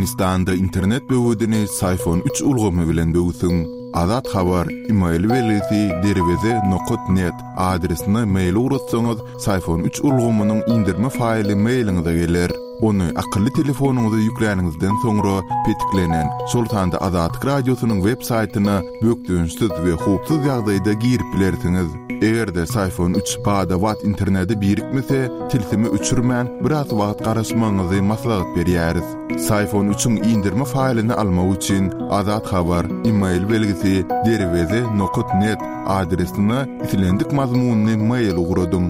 Türkmenistanda internet böwedini Syfon üç ulgamy bilen böwsüň. Azat Habar, email belgisi derweze nokat net adresine mail ugratsaňyz, Syfon üç ulgamynyň indirme faýly mailiňize geler. Ony akylly telefonyňyza ýükläniňizden soňra petiklenen, şol sanda Azatlyk Radiosynyň web saýtyna bökdençsiz we howpsuz ýagdaýda girip bilersiňiz. Eger-de Syfon üç bada-bat internete birikmese, tilsimi öçürmän, biraz wagt garaşmagyňyzy maslahat berýäris. Syfon üçiň indirme faýlyny almak üçin Azat Habar, email belgisi, derweze nokat net adresine islendik mazmunly mail ugradyň.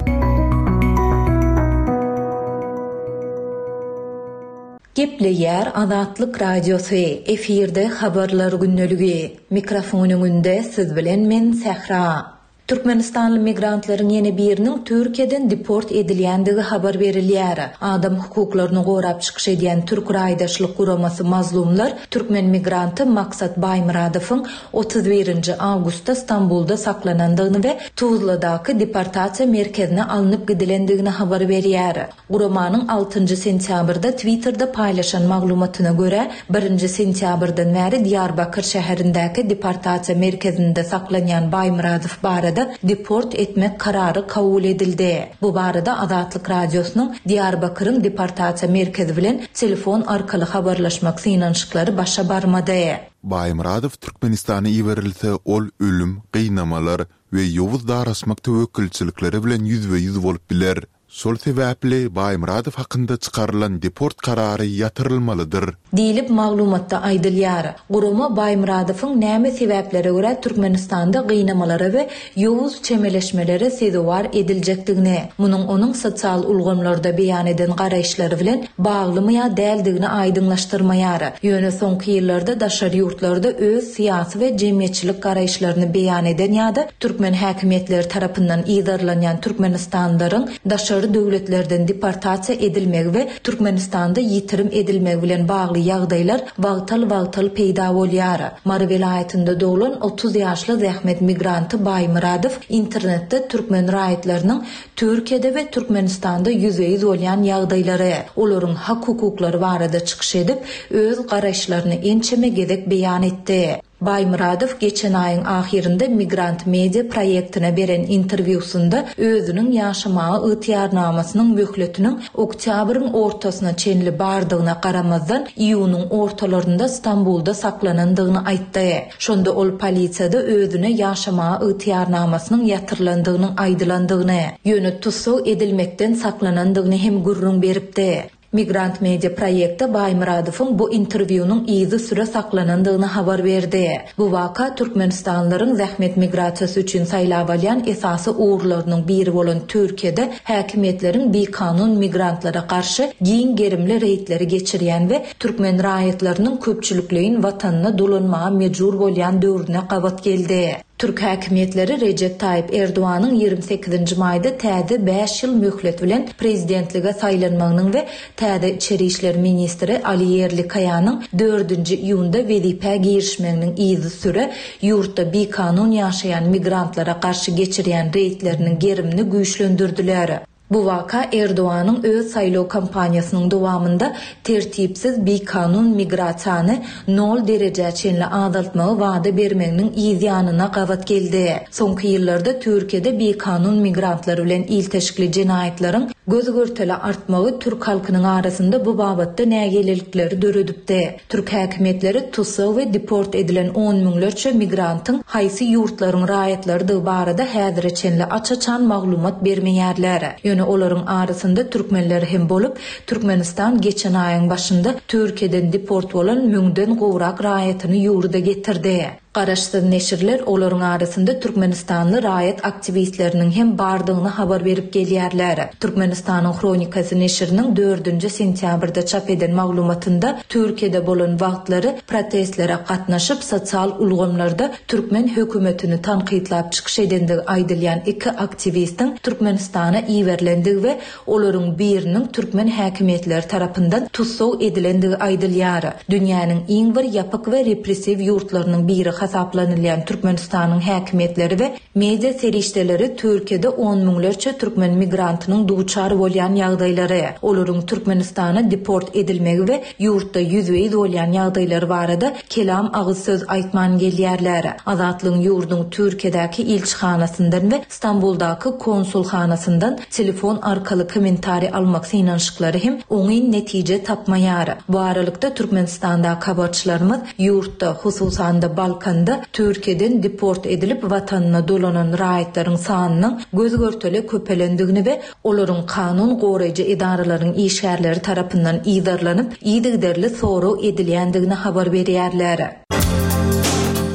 Gepleýär Azatlyk Radiosy, efirde Habarlar gündeligi. Mikrofon öňünde siz bilen men Sähra. Türkmenistanly migrantlaryň ýene biriniň Türkiýeden deport edilýändigi habar berilýär. Adam hukuklaryny gorap çykyş edýän türk raýdaşlyk guramasy Mazlumlar türkmen migranty Maksat Baýmyradowyň 31 nji awgustda Stambulda saklanandygyny we Tuzladaky deportasiýa merkezine alnyp gidilendigini habar berýär. Guramanyň altynjy sentýabrda Twitterde paýlaşan maglumatyna görä, birinji sentýabrdan bäri Diýarbakyr şäherindäki deportasiýa merkezinde saklanýan Baýmyradow barada deport etmek karary kabul edildi. Bu barada Azatlyk Radiosynyň Diýarbakyryň deportasiýa merkezi bilen telefon arkaly habarlaşmak synanyşyklary başa barmady. Baýmyradow Türkmenistana iberilse, ol ölüm, gynamalar we ýowuz daraşmak töwekgelçilikleri bilen ýüzbe-ýüz bolup biler. Şol sebäpli Baýmyradow hakynda çykarylan deport karary ýatyrylmalydyr. Diýlip, maglumatda aýdylýar. Gurama Baýmyradowyň näme sebäplere görä Türkmenistanda gynamalara we ýowuz çemeleşmelere sezewar ediljekdigini, munuň onuň sosial ulgamlarda beýan eden garaýyşlary bilen baglymy ýa däldigini aýdyňlaşdyrmaýar. Ýöne soňky ýyllarda daşary ýurtlarda öz syýasy we jemgyýetçilik garaýyşlaryny beýan eden ýa-da türkmen häkimiýetleri tarapyndan yzarlanýan türkmenistanlylaryň daşary döwletlerden deportasiýa edilmegi we Türkmenistanda ýitirim edilmegi bilen bagly ýagdaýlar wagtal-wagtal peýda bolýar. Mary welaýatynda doglan 30 ýaşly zähmet migranty Baýmyradow internetde türkmen raýatlarynyň Türkiýede we Türkmenistanda ýüzbe-ýüz bolýan ýagdaýlary, olaryň hak-hukuklary barada çykyş edip, öz garaýyşlaryny ençeme gezek beýan etdi. Baýmyradow geçen aýyň ahyrynda Migrant Media proýektine beren interwýusynda özüniň ýaşamaga ygtyýarnamasynyň möhletiniň oktýabryň ortasyna çenli bardygyna garamazdan, iýunyň ortalarynda Stambulda saklanandygyny aýtdy. Şonda ol polisiýada özüne ýaşamaga ygtyýarnamasynyň ýatyrylandygynyň aýdylandygyny, ýöne tussag edilmekden saklanandygyny hem gürrüň beripdi. Migrant Media proýekti Baýmyradowyň bu interwýunyň yzysüre saklanandygyny habar berdi. Bu waka türkmenistanlylaryň zähmet migrasiýasy üçin saýlap alýan esasy ugurlarynyň biri bolan Türkiýede häkimiýetleriň bikanun migrantlara garşy giň gerimli reýdleri geçirýän we Türkmen raýatlarynyň köpçülikleýin watanyna dolanmaga mejbur bolýan döwrüne gabat geldi. Türk häkimiýetleri Rejep Taýyp Erdoganyň 28 nji maýda täze bäş ýyl möhlet bilen prezidentlige saýlanmagynyň we täze içeri işler ministri Ali Ýerlikaýanyň dördünji iýunda wezipä girişmeginiň yzysüre ýurtda bikanun ýaşaýan migrantlara garşy geçirýän reýdleriniň gerimini güýçlendirdiler. Bu waka Erdoganyň öz saýlaw kampaniýasynyň dowamynda tertipsiz bikanun migrasiýany nol derejä çenli azaltmagy wada bermeginiň yz ýanyna gabat geldi. Soňky ýyllarda Türkiýede bikanun migrantlar bilen ilteşikli jenaýatlaryň göz-görtele artmagy türk halkynyň arasynda bu babatda nägilelikleri döredipdi. Türk häkimiýetleri tussag we deport edilen on müňlerçe migrantyň haýsy ýurtlaryň raýatlarydygy barada häzire çenli aç-açan maglumat bermeýärler. Ýöne olaryň arasynda türkmenler hem bolup, Türkmenistan geçen aýyň başynda Türkiýeden deport bolan müňden gowrak raýatyny ýurda getirdi. Garaşsyz neşirler olaryň arasynda türkmenistanly raýat aktiwistleriniň hem bardygyny habar berip gelýärler. Türkmenistanyň Hronikasy neşiriniň dördünji sentýabrda çap eden maglumatynda Türkiýede bolan wagtlary protestlere gatnaşyp, sosial ulgamlarda türkmen hökümetini tankytlap çykyş edendigi aýdylýan iki aktiwistiň Türkmenistana iberilendigi we Olaryň biriniň türkmen häkimiýetleri tarapyndan tussag edilendigi aýdylýar. Dünýäniň iň bir ýapyk we repressiw ýurtlarynyň biri. hasaplanylýan Türkmenistanyň häkimiýetleri we media serişdeleri Türkiýede on müňlerçe türkmen migrantynyň duçar bolýan ýagdaýlary, olaryň Türkmenistana deport edilmegi we ýurtda ýüzbe-ýüz bolýan ýagdaýlary barada kelam agyz söz aýtman gelýärler. Azatlygyň ýurduň Türkiýedäki ilçihanasyndan we Stambuldaky konsulhanasyndan telefon arkaly kommentariý almak synanyşyklary hem oňyn netije tapmaýar. Bu aralykda, Türkmenistandaky habarçylarymyz ýurtda, hususan-da Balkanda Türkiýeden deport edilip watanyna dolanan raýatlaryň sanynyň göz-görtele köpelendigini we olaryň kanun goraýjy edaralaryň işgärleri tarapyndan yzarlanyp, yzygiderli sorag edilýändigini habar berýärler.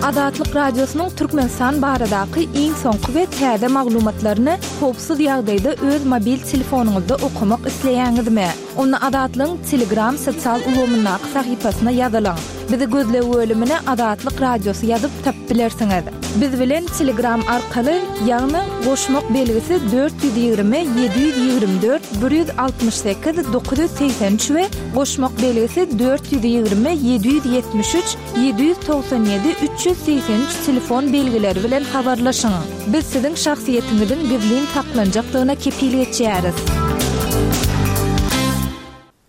Azatlyk Radiosynyň Türkmenistan baradaky iň soňky we täze maglumatlaryny howpsuz ýagdaýda öz mobil telefonyňyzda okamak isleýäňizmi? Onda Azatlygyň Telegram sosial ulgamyndaky sahypasyna ýazylyň. Bizi gözleg bölümine Azatlyk Radiosy ýazyp tapyp bilersiňiz. Biz bilen Telegram arkaly, ýagny goşmak belgisi 420 724 168 983 we goşmak belgisi 420 773 797 383 telefon belgileri bilen habarlaşyň. Biz siziň şahsyýetiňiziň gizlin saklanjakdygyna kepil geçýäris.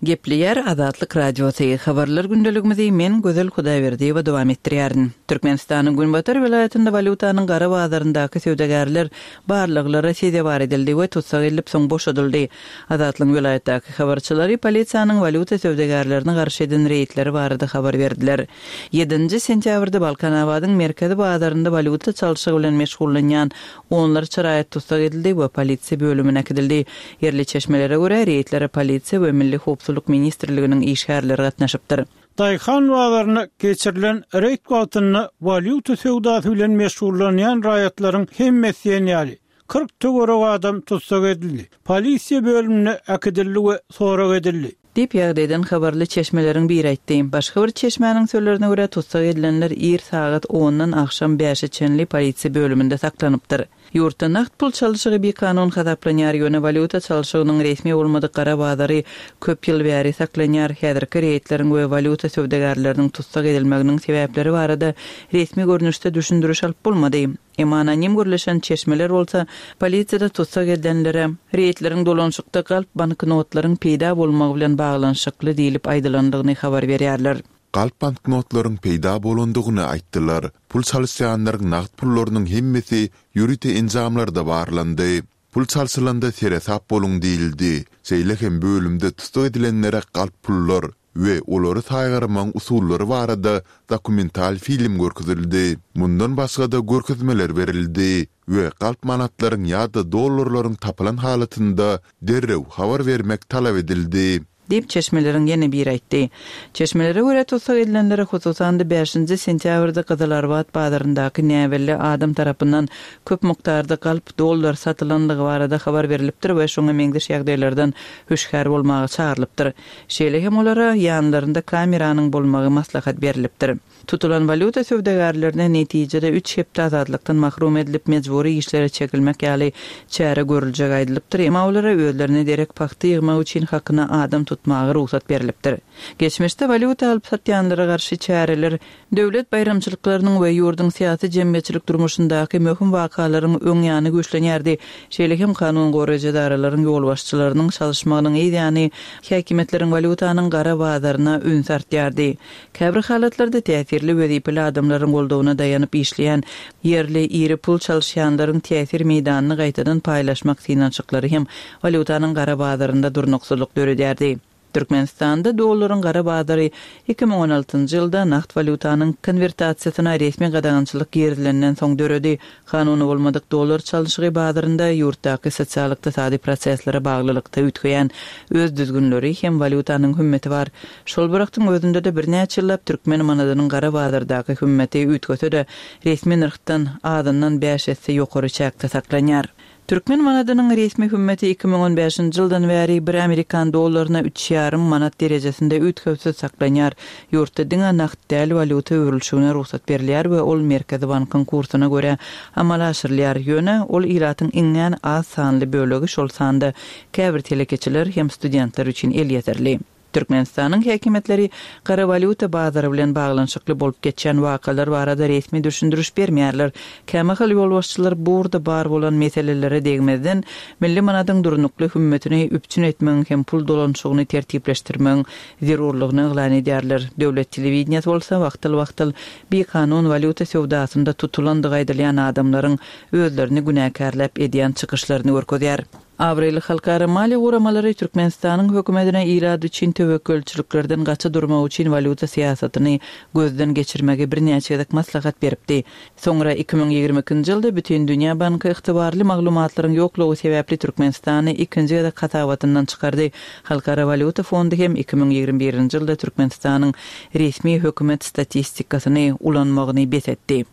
Gepleýär Azatlyk Radiosy, Habarlar gündeligimizi men Gözel Hudaýberdiýewa dowam etdirýärin. Türkmenistanyň günbatar welaýatynda walýutanyň gara bazaryndaky söwdagärler barlaglara sezewar edildi we tussag edilip soň boşadyldy. Azatlygyň welaýatdaky habarçylary polisiýanyň walýuta söwdagärlerine garşy eden reýdleri barada habar berdiler. Ýedinji sentýabrda Balkanabadyň merkezi bazarynda walýuta çalşygy bilen meşgullanýan onlarça raýat tussag edildi we polisiýa bölümine äkidildi. Ýerli çeşmelere görä, reýdlere polisiýa we Milli howpsuzlyk ministrliginiň işgärleri gatnaşypdyr. Daýhan bazarynda geçirilen reýd wagtynda walýuta söwdasy bilen meşgullanýan raýatlaryň hemmesi diýen ýaly, 40 töweregi adam tussag edildi, polisiýa bölümine äkidildi we sorag edildi. Diýip, ýagdaýdan habarly çeşmeleriň biri aýtdy. Başga bir çeşmäniň sözlerine görä, tussag edilenler ir sagat ondan agşam bäşe çenli polisiýa bölüminde saklanypdyr. Ýurtda nagt pul çalşygy bikanun hasaplanýar, ýöne walýuta çalşygynyň resmi bolmadyk gara bazary köp ýyl bäri saklanýar. Häzirki reýdleriň we walýuta söwdagärleriniň tussag edilmeginiň sebäpleri barada resmi görnüşde düşündiriş alyp bolmady. Emma anonim gürleşen çeşmeler bolsa, polisiýada tussag edilenlere reýdleriň dolanyşykda galp banknotlaryň peýda bolmagy bilen baglanyşykly diýlip aýdylandygyny habar berýärler. Galp banknotlaryň peýda bolandygyny aýtdylar. Pul çalyşýanlaryň nagt pullarynyň hemmesi ýörite enjamlarda barlandy. Pul çalşylanda seresap boluň diýildi. Şeýle hem bölümde tussag edilenlere galp pullar we olary saýgarmagyň usullary barada dokumental film görkezildi. Mundan başga-da görkezmeler berildi we galp manatlaryň ýa-da dollarlaryň tapylan halatynda derrew habar bermek talap edildi. Diýip, çeşmeleriň ýene biri aýtdy. Çeşmelere görä, tussag edilenlere, hususan-da, bäşinji sentýabrda Gyzylarbat bazaryndaky näbelli adam tarapyndan köp mukdarda galp dollar satylandygy barada habar berlipdir we şoňa meňzeş ýagdaýlardan hüşgär bolmaga çagyrylypdyr. Şeýle hem olara ýanlarynda kameranyň bolmagy maslahat berlipdir. Tutulan walýuta söwdagärlerine netijede üç hepde azatlykdan mahrum edilip, mejbury işlere çekilmek ýaly çäre görüljegi aýdylypdyr, emma olara özlerine derek pagta ýygmak üçin hakyna adam tutmaga rugsat berlipdir. Geçmişde walýuta alyp satýanlara garşy çäreler döwlet baýramçylyklarynyň we ýurduň syýasy-jemgyýetçilik durmuşyndaky möhüm wakalaryň öň ýany güýçlenýärdi. Şeýle hem kanun goraýjy edaralaryň ýolbaşçylarynyň çalyşmagynyň yz ýany häkimiýetleriň walýutanyň gara bazaryna ünsi artýardy. Käbir halatlarda täsirli wezipeli adamlaryň goldawyna daýanyp işleýän ýerli iri pul çalyşýanlaryň täsir meýdanyny gaýtadan paýlaşmak synanyşyklary hem walýutanyň gara bazarynda durnuksyzlyk döredýärdi. Türkmenistanda dollaryň gara bazary 2016-njy ýylda nagt walýutanyň konwertasiýasyna resmi gadagançylyk girizilenden soň döredi. Kanuny bolmadyk dollar çalşygy bazarynda ýurtdaky sosial-ykdysady proseslere baglylykda üýtgeýän öz düzgünleri hem walýutanyň hümmeti bar. Şol bir wagtyň özünde-de birnäçe ýyllap türkmen manadynyň gara bazardaky hümmeti üýtgese-de, resmi nyrhdan azyndan bäş esse ýokary çäkde saklanýar. Türkmen manadynyň resmi hümmeti 2015-nji ýyldan bäri bir amerikan dollaryna üç ýarym manat derejesinde üýtgewsiz saklanýar. Ýurtda diňe nagt däl walýuta öwrülişigine rugsat berilýär we ol Merkezi bankyň kursuna görä amala aşyrylýar. Ýöne ol ilatyň iňňän az sanly bölegi, şol sanda käbir telekeçiler hem studentler üçin elýeterli. Türkmenistanyň häkimiýetleri gara walýuta bazary bilen baglanyşykly bolup geçýän wakalar barada resmi düşündiriş bermeýärler. Kämahal ýolbaşçylar bu ugurda bar bolan meselelere degmezden, milli manadyň durnukly hümmetini üpjün etmegiň hem pul dolanyşygyny tertipleşdirmegiň zerurlygyny yglan edýärler. Döwlet telewideniýesi bolsa wagtal-wagtal bikanun walýuta söwdasynda tutulandygy aýdylýan adamlaryň özlerini günäkärläp edýän çykyşlaryny görkezýär. Abraýly halkara maliýe guramalary Türkmenistanyň hökümetine ilat üçin töwekgelçiliklerden gaça durmak üçin walýuta syýasatyny gözden geçirmegi birnäçe gezek maslahat beripdi. Soňra 2022-nji ýylda Bütindünýä banky ygtybarly maglumatlaryň ýoklugy sebäpli Türkmenistany ikinji gezek hasabatyndan çykardy. Halkara walýuta fondy hem 2021-nji ýylda Türkmenistanyň resmi hökümet statistikasyny ulanmagyny bes etdi.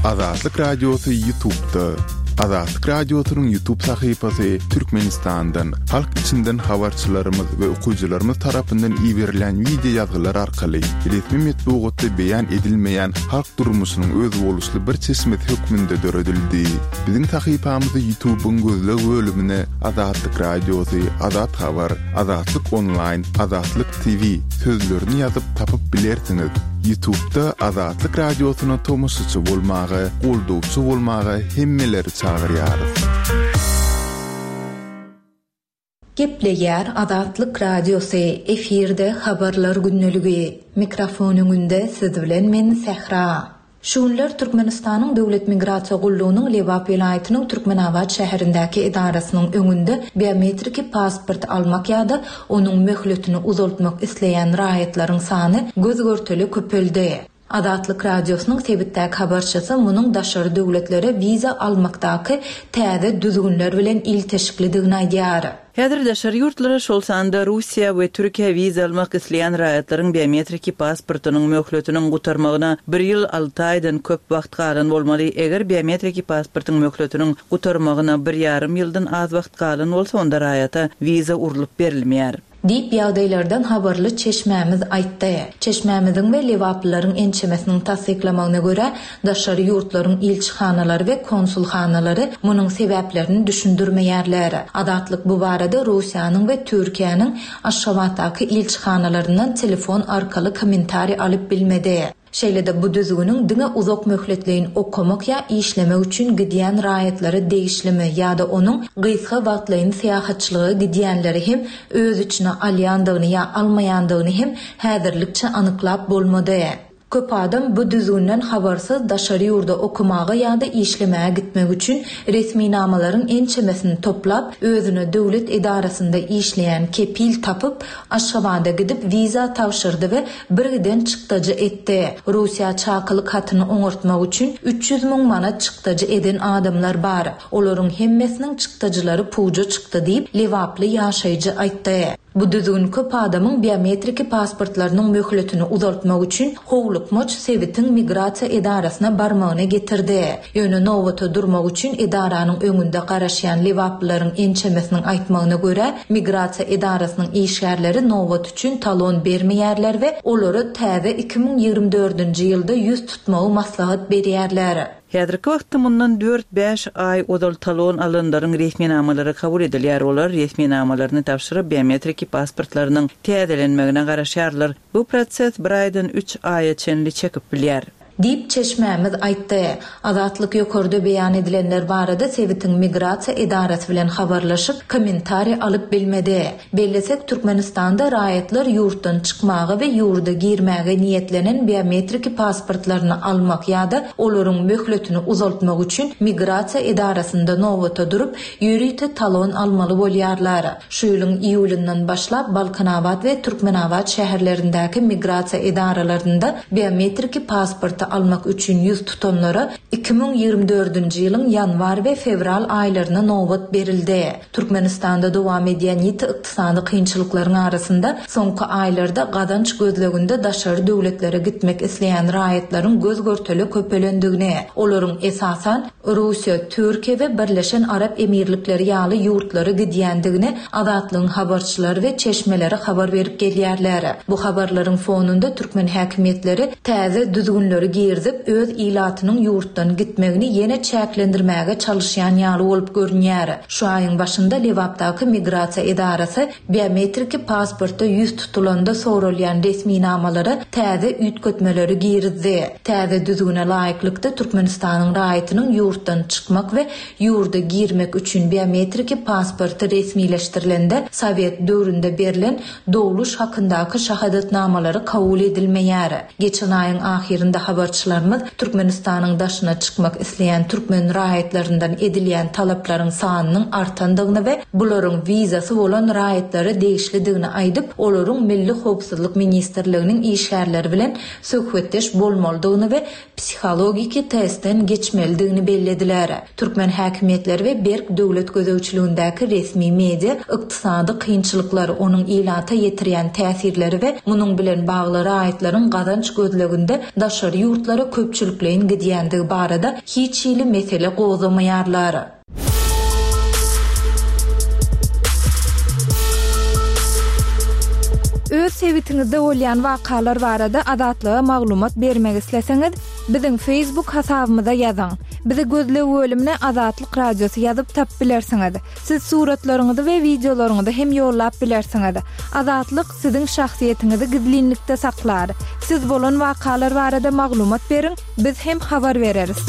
Azatlyk Radiosy Ýutubda. Azatlyk Radiosynyň Ýutub sahypasy Türkmenistandan, halk içinden habarçylarymyz we okyjylarymyz tarapyndan iberilen wideo ýazgylar arkaly resmi metbugatda beýan edilmeýän halk durmuşynyň özboluşly bir çeşmesi hökmünde döredildi. Biziň sahypamyzy Ýutubyň gözleg bölümine Azatlyk Radiosy, Azat Habar, Azatlyk Onlaýn, Azatlyk TV sözlerini ýazyp tapyp bilersiňiz. Ýutubda Azatlyk Radiosyna tomaşaçy bolmaga, goldawçy bolmaga hemmeleri çagyrýarys. Gepleýär Azatlyk Radiosy, efirde Habarlar gündeligi. Mikrofon öňünde siz bilen men Sähra. Şu günler Türkmenistanyň Döwlet migrasiýa gullugynyň Lebap welaýatynyň Türkmenabat şäherindäki edarasynyň öňünde biometriki pasport almak ýa-da onuň möhletini uzaltmak isleýän raýatlaryň sany göz-görtele köpeldi. Azatlyk Radiosynyň sebitdäki habarçysy munuň daşary döwletlere wiza almakdaky täze düzgünler bilen ilteşiklidigini aýdýar. Häzir daşary ýurtlara, şol sanda Russiýa we Türkiýä wiza almak isleýän raýatlaryň biometriki pasportynyň möhletiniň gutarmagyna bir ýyl alty aýdan köp wagt galan bolmaly. Eger biometriki pasportyň möhletiniň gutarmagyna bir ýarym ýyldan az wagt galan bolsa, onda raýata wiza urlup berilmeýär. Diýip, ýagdaýlardan habarly çeşmämiz aýtdy. Çeşmämiziň we lebaplylaryň ençemesiniň tassyklamagyna görä, daşary ýurtlaryň ilçihanalary we konsulhanalary munuň sebäplerini düşündirmeýärler. Azatlyk bu barada Russiýanyň we Türkiýäniň Aşgabatdaky ilçihanalaryndan telefon arkaly kommentariý alyp bilmedi. Şeýle-de bu düzgüniň diňe uzak möhletleýin okamak ýa işlemek üçin gidýän raýatlara degişlimi ýa-da onuň gysga wagtlaýyn syýahatçylyga gidýänleri hem öz içine alýandygyny ýa almaýandygyny hem häzirlikçe anyklap bolmady. Köp adam bu düzgünden habarsyz daşary ýurda okamaga ýa-da işlemäge gitmek üçin resminamalaryň ençemesini toplap, özüne döwlet edarasynda işleýän kepil tapyp, Aşgabada gidip wiza tabşyrdy we birgiden çykdajy etdi. Russiýa çakylyk hatyny oňartmak üçin 300 müň manat çykdajy eden adamlar bar. Olaryň hemmesiniň çykdajylary puja çykdy diýip, lebaply ýaşaýjy aýtdy. Bu düzgün köp adamyň biometriki pasportlarynyň möhletini uzaltmak üçin howlukmaç sebitiň migrasiýa edarasyna barmagyna getirdi. Ýöne nobata durmak üçin edaranyň öňünde garaşýan lebaplylaryň ençemesiniň aýtmagyna görä, migrasiýa edarasynyň işgärleri nobat üçin talon bermeýärler we olara täze 2024-nji ýylda ýüz tutmagy maslahat berýärler. Häzirki wagtda mundan dört-bäş aý ozal talon alanlaryň resminamalary kabul edilýär, olar resminamalaryny tabşyryp, biometriki pasportlarynyň täzelenmegine garaşýarlar. Bu proses bir aýdan üç aýa çenli çekip bilýär. Diýip, çeşmämiz aýtdy. Azatlyk ýokarda beýan edilenler barada sebitiň migrasiýa edarasy bilen habarlaşyp, kommentariý alyp bilmedi. Bellesek, Türkmenistanda raýatlar ýurtdan çykmaga we ýurda girmäge niýetlenen biometriki pasportlaryny almak ýa-da olaryň möhletini uzaltmak üçin migrasiýa edarasynda nobata durup, ýörite talon almaly bolýarlar. Şu ýylyň iýulyndan başlap Balkanabat we Türkmenabat şäherlerindäki migrasiýa edaralarynda biometriki pasporty almak üçin ýüz tutanlara 2024-nji ýylyň ýanwar we fewral aýlaryna nobat berildi. Türkmenistanda dowam edýän ýiti ykdysady kynçylyklaryň arasynda soňky aýlarda gazanç gözleginde daşary döwletlere gitmek isleýän raýatlaryň göz-görtele köpelendigini, olaryň esasan, Russiýa, Türkiýe we Birleşen Arap Emirlikleri ýaly ýurtlara gidýändigini Azatlygyň habarçylary we çeşmeleri habar berip gelýärler. Bu habarlaryň fonunda türkmen häkimiýetleri täze düzgünleri. girizip, öz ilatynyň ýurtdan gitmegini ýene çäklendirmäge çalyşýan ýaly bolup görünýär. Şu aýyň başynda Lebapdaky migrasiýa edarasy biometriki pasportda ýüz tutulanda soralýan resminamalara täze üýtgetmeleri girizdi. Täze düzgüne laýyklykda, Türkmenistanyň raýatynyň ýurtdan çykmak we ýurda girmek üçin biometriki pasporty resmileşdirilende sowet döwründe berlen dogluş hakyndaky şahadatnamalary kabul edilmeýär. Geçen aýyň ahyrynda habarçylarymyz Türkmenistanyň daşyna çykmak isleýän türkmen raýatlaryndan edilýän talaplaryň sanynyň artandygyny we bularyň wizasy bolan raýatlara degişlidigini aýdyp, olaryň Milli howpsuzlyk ministrliginiň işgärleri bilen söhbetdeş bolmalydygyny we psihologiki testden geçmelidigini bellediler. Türkmen häkimiýetleri we berk döwlet gözegçiligindäki resmi media ykdysady kynçylyklar, onuň ilata ýetirýän täsirleri we munuň bilen bagly raýatlaryň gazanç gözleginde daşary ýurtlara köpçülikleýin gidýändigi barada hiç hili mesele gozgamaýarlar. Öz sebitiňizde bolýan wakalar barada Azatlyga maglumat bermek isleseňiz, biziň Facebook hasabymyza ýazyň. Bizi gözleg bölümine Azatlyk Radiosy ýazyp tapyp bilersiňiz. Siz suratlaryňyzy we wideolaryňyzy hem ýollap bilersiňiz. Azatlyk siziň şahsyýetiňizi gizlinlikde saklar. Siz bolan wakalar barada maglumat beriň, biz hem habar bereris.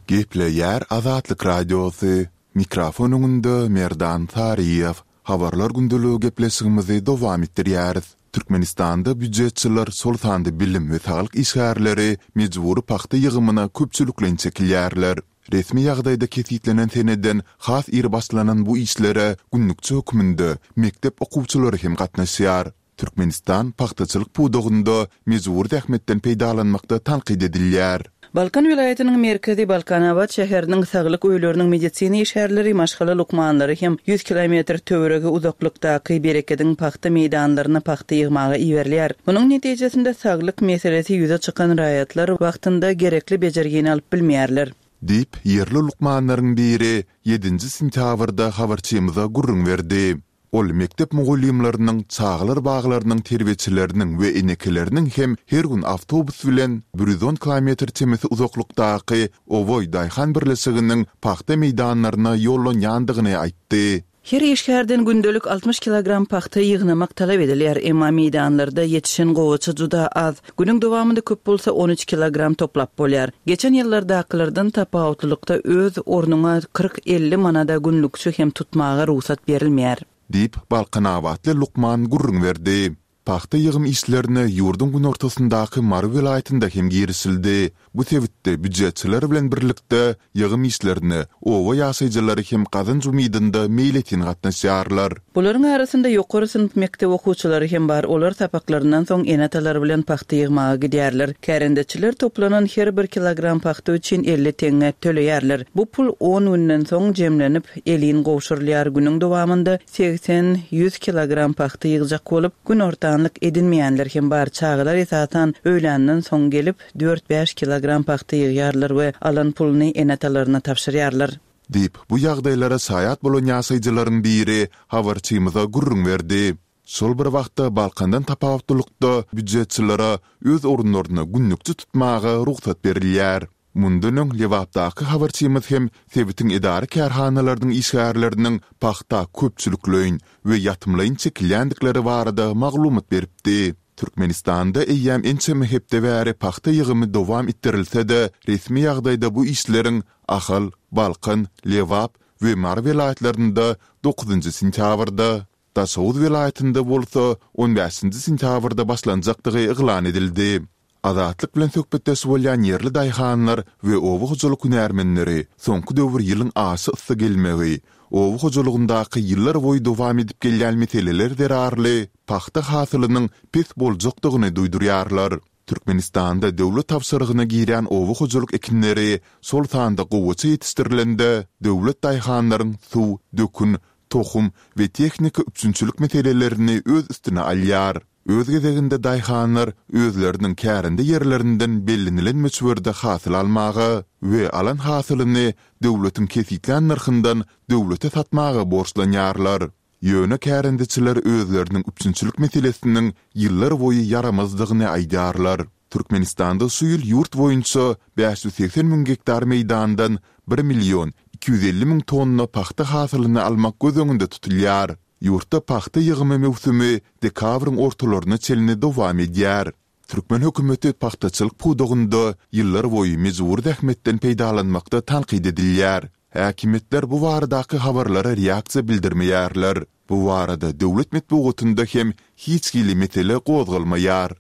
Gepleýär Azatlyk Radiosy, Mikrofon öňünde Merdan Saryýew. Habarlar gündeligi gepleşigimizi dowam etdirýäris. Türkmenistanda býujetçiler, şol sanda bilim we saglyk işgärleri mejbury pagta ýygymyna köpçülikleýin çekilýärler. Resmi ýagdaýda kesgitlenen seneden has ir başlanan bu işlere günlükçi hökmünde mekdep okuwçylary hem gatnaşýar. Türkmenistan pagtaçylyk pudagynda mejbury zähmetden peýdalanmakda tankyt edilýär. Balkan welaýatynyň merkezi Balkanabat şäheriniň saglyk öýleriniň medisina işgärleri, maşgala lukmanlary hem ýüz kilometr töweregi uzaklykdaky Berekediň pagta meýdanlaryna pagta ýygmaga iberilýär. Munuň netijesinde saglyk meselesi ýüze çykan raýatlar wagtynda gerekli bejergini alyp bilmeýärler. Diýip, ýerli lukmanlaryň biri ýedinji sentýabrda habarçymyza gürrüň berdi. Ol mekdep mugallymlarynyň, çagalar baglarynyň terbiýeçileriniň we enekeleriniň hem her gün awtobus bilen 110 kilometr çemesi uzaklykdaky Oboý daýhan birleşiginiň pagta meýdanlaryna ýollanýandygyny aýtdy. Her işgärden gündelik 60 kilogram pagta ýygnamak talap edilýär, emma meýdanlarda ýetişen gowaça juda az. Günüň dowamynda köp bolsa on üç kilogram toplap bolýar. Geçen ýyllardakylardan tapawutlylykda öz ornuňa 40-50 manada günlükçi hem tutmaga rugsat berilmeýär. Diýip, balkanabatly lukman gürrüň berdi. Pagta ýygym işlerine ýurduň günortasyndaky Mary welaýatynda hem girişildi. Bu sebitde býujetçiler bilen birlikde ýygym işlerine oba ýaşaýjylary hem gazanç umydynda meýletin gatnaşýarlar. Bularyň arasynda ýokary synp mekdep okuwçylary hem bar, olar sapaklaryndan soň ene-atalary bilen pagta ýygmaga gidýärler. Kärendeçiler toplanan her bir kilogram pagta üçin 50 teňňe töleýärler. Bu pul on günden soň jemlenip, elin gowşurylýar, günüň dowamynda segsen, ýüz kilogram pagta ýygjak bolup, günortanlyk edinmeýänler hem bar, çagalar esasan öýländen soň gelip, dört-bäş kilogram pagta ýygýarlar we alan puluny ene-atalaryna tabşyrýarlar. Diýip, bu ýagdaýlara şaýat bolan ýaşaýjylaryň biri habarçymyza gürrüň berdi. Şol bir wagtda, Balkandan tapawutlylykda, býujetçilere öz orunlaryna günlükçi tutmaga rugsat berilýär. Mundan öň Lebapdaky habarçymyz hem sebitiň edara-kärhanalarynyň işgärleriniň pagta köpçülikleýin we ýatymlaýyn çekilýändikleri barada maglumat beripdi. Türkmenistanda eýýäm ençeme hepde bäri pagta ýygymy dowam etdirilse-de, resmi ýagdaýda bu işleriň Ahal, Balkan, Lebap we Mary welaýatlarynda dokuzynjy sentýabrda, Daşoguz welaýatynda bolsa on bäşinji sentýabrda başlanjakdygy yglan edildi. Azatlyk bilen söhbetdeş bolýan ýerli daýhanlar we oba hojalyk hünärmenleri soňky döwür ýylyň aşa yssy gelmegi, oba hojalygyndaky ýyllar boýy dowam edip gelýän meseleler zerarly pagta hasylynyň pes boljakdygyny duýdurýarlar. Türkmenistanda döwlet tabşyrygyna girýän oba hojalyk ekinleri, şol sanda gowaça ýetişdirilende, döwlet daýhanlaryň suw, dökün, tohum we tehnika üpjünçilik meselelerini öz üstüne alýar. Öz gezeginde daýhanlar özleriniň kärende ýerlerinden bellenilen möçberde hasyl almaga we alan hasylyny döwletiň kesgitlän nyrhyndan döwlete satmaga borçlanýarlar. Ýöne kärendeçiler özleriniň üpjünçilik meselesiniň ýyllar boýy ýaramazdygyny aýdýarlar. Türkmenistanda şu ýyl ýurt boýunça 580 müň gektar meýdandan bir million 250 müň tonna pagta hasylyny almak göz öňünde tutulýar. Ýurtda pagta ýygymy möwsümi dekabryň ortalaryna çenli dowam edýär. Türkmen hökümeti pagtaçylyk pudagynda ýyllarboýy mejbury zähmetden peýdalanmakda tankyt edilýär. Häkimiýetler bu baradaky habarlara reaksiýa bildirmeýärler. Bu barada döwlet metbugatynda hem hiç hili mesele gozgalmaýar.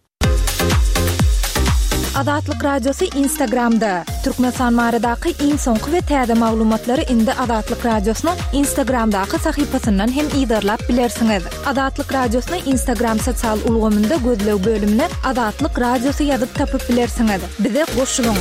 Azatlyk Radiosy Instagramda, Türkmenistan baradaky iň soňky we täze maglumatlary indi Azatlyk Radiosynyň Instagramdaky sahypasyndan hem yzarlap bilersiňiz. Azatlyk Radiosyny Instagram sosial ulgamynda gözleg bölümine Azatlyk Radiosy ýazyp tapyp bilersiňiz. Bize goşulyň!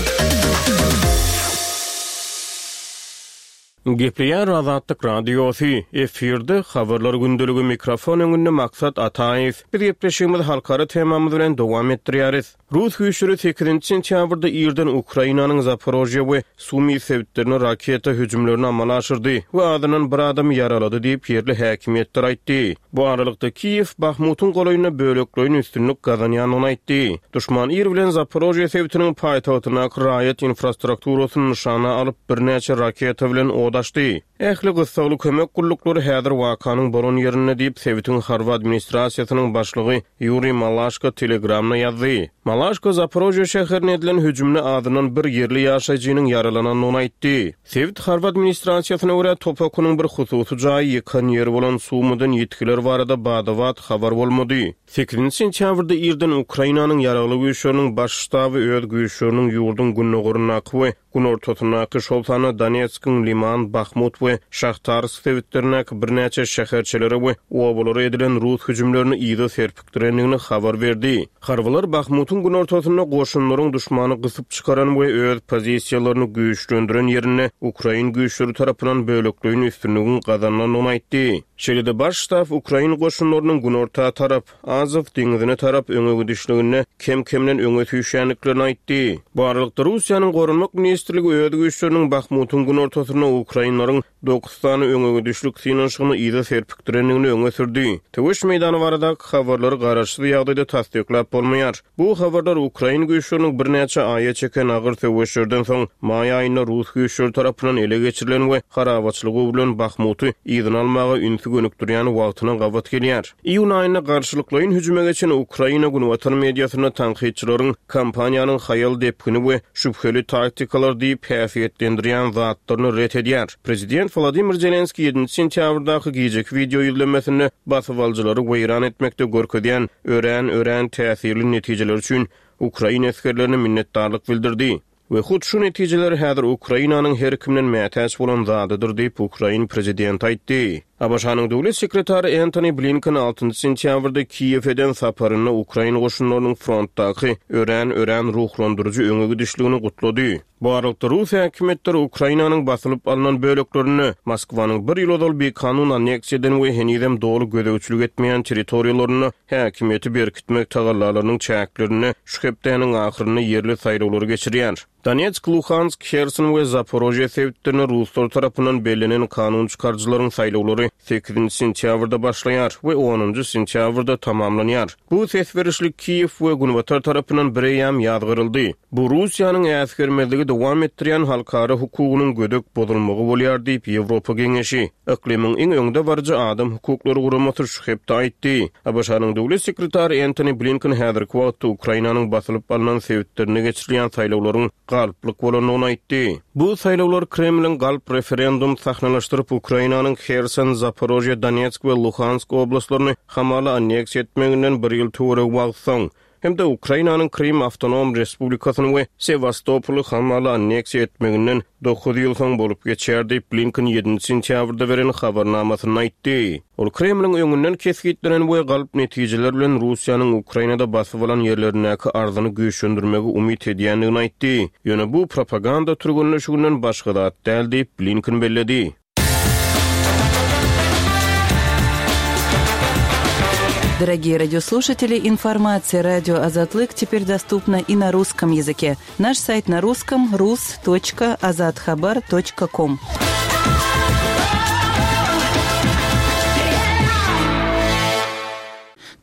Gepleýär Azatlyk Radiosy, efirde Habarlar gündeligi mikrofon öňünde Maksat Ataýew. Biz gepleşigimizi halkara temamyz bilen dowam etdirýäris. Rus güýçleri sekizinji sentýabrda irden Ukrainanyň Zaporožýe we Sumy sebitlerine raketa hüjümlerini amala aşyrdy we azyndan bir adamy ýaralady diýip, ýerli häkimiýetler aýtdy. Bu aralykda, Kiýew Bahmutyň golaýynda bölekleýin üstünlik gazanýandygyny aýtdy. Duşman ir bilen Zaporožýe sebitiniň paýtagtyndaky raýat infrastrukturasyny nyşana alyp, birnäçe raketa bilen od açdy. Ähli gyssagly kömek gulluklary häzir wakanyň bolan ýerinde diýip, sebitiň harby administrasiýasynyň başlygy Ýuriý Malaşko Telegramda ýazdy. Malaşko Zaporožýe şäherine edilen hüjümde azyndan bir ýerli ýaşaýjynyň ýaralanandygyny aýtdy. Sebit harby administrasiýasyna görä, top okunyň bir hususy jaýy ýykan ýeri bolan Sumydan ýitgiler barada bada-bat habar bolmady. Sekizinji sentýabrda irden Ukrainanyň Ýaragly Güýçleriniň Baş ştaby öz güýçleriniň ýurduň gündogaryndaky we günortasyndaky, şol sanda Donetskiň Liman, Bahmut we Şahtarsk sebitlerindäki birnäçe şäherçelere we obalara edilen rus hüjümlerini yza serpikdirendigini habar berdi. Harbylar Bahmutyň günortasynda goşunlaryň duşmany gysyp çykaran we öz pozisiýalaryny güýçlendiren ýerinde ukrain güýçleri tarapyndan bölekleýin üstünligiň gazanylandygyny aýtdy. Şeýle-de Baş ştab ukrain goşunlarynyň günorta tarap, Azow deňzine tarap öňe gidişliginde kem-kemden öňe süýşýändiklerini aýtdy. Bu aralykda, Russiýanyň Goranmak ministrligi öz güýçleriniň Bahmutyň günortasynda ukrainleriň dokuz sany öňe gidişlik synanyşygyny yza serpikdirendigini öňe sürdi. Söweş meýdany baradaky habarlary garaşsyz ýagdaýda tassyklap bolmaýar. Bu habarlar ukrain güýçleriniň birnäçe aýa çeken agyr söweşlerden soň, maý aýynda rus güýçleri tarapyndan ele geçirilen we harabaçylyga öwrülen Bahmuty yzyna almaga ünsi gönükdirýän wagtyna gabat gelýär. Iýun aýynda garşylyklaýyn hüjüme geçen Ukraina günbatar mediasynda tankytçylaryň kampaniýanyň haýal depgini we şübheli taktikalar diýip häsiýetlendirýän zatlaryny ret edýär. Prezident Wladimir Zelenskiý ýedinji sentýabrdaky gijeki wideo ýüzlenmesinde basybalyjylary weýran etmekde görkezýän örän, örän täsirli netijeler üçin ukrain esgerlerine minnetdarlyk bildirdi. We hut şu netijeler häzir Ukrainanyň her kimden mätäç bolan zadydyr diýip, ukrain prezidenti aýtdy. ABŞ-nyň döwlet sekretary Entoni Blinken altynjy sentýabrda Kiýewe eden saparynda ukrain goşunlarynyň frontdaky örän, örän ruhlandyryjy öňe gidişligini gutlady. Bu aralykda, rus häkimiýetleri Ukrainanyň basylyp alnan böleklerinde, Moskwanyň bir ýyl ozal bikanun anneksiýa eden we henizem doly gözegçilik etmeýän territoriýalarynda häkimiýeti berkitmek tagallalarynyň çäklerinde şu hepdäniň ahyrynda ýerli saýlawlary geçirýär. Donetsk, Luhansk, Herson we Zaporožýe sebitlerinde ruslar tarapyndan bellenen kanun çykaryjylaryň saýlawlary sekizinji sentýabrda başlaýar we onunjy sentýabrda tamamlanýar. Bu ses berişlik Kiýew we Günbatar tarapyndan bireýýäm ýazgaryldy. Bu Russiýanyň äsgermezligi dowam etdirýän halkara hukugynyň gödek bozulmagy bolýar diýip, Ýewropa Geňeşi, yklymyň iň öňdebaryjy adam hukuklary guramasy şu hepde aýtdy. ABŞ-nyň döwlet sekretary Entoni Blinken häzirki wagtda Ukrainanyň basylyp alnan sebitlerinde geçirilýän saýlawlaryň galplyk bolandygyny aýtdy. Bu saýlawlar Kremliň galp referendum sahnalaşdyryp, Ukrainanyň Herson, Zaporožýe, Donetsk we Luhansk oblastlaryny hamala anneksiýa etmeginden bir ýyl töweregi wagt soň, hem-de Ukrainanyň Krym awtonom respublikasyny we Sewastopoly hamala anneksiýa etmeginden dokuz ýyl soň bolup geçýär diýip, Blinken ýedinji sentýabrda beren habarnamasynda aýtdy. Ol Kremliň öňünden kesgitlenen we galp netijeler bilen Russiýanyň Ukrainada basyp alan ýerlerindäki arzyny güýçlendirmegi umyt edýändigini aýtdy. Ýöne bu propaganda türgenleşiginden başga zat däl diýip, Blinken belledi. Дорогие радиослушатели, информация радио Азатлык теперь доступна и на русском языке. Наш сайт на русском rus.azathabar.com.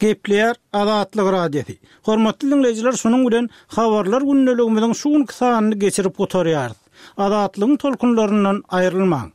Gepleýär Azatlyk Radiosy. Hormatly diňleýjiler şunuň bilen Habarlar gündeligimiziň şu günki sanyny geçirip gutarýarys. Azatlygyň tolkunlaryndan aýrylmaň.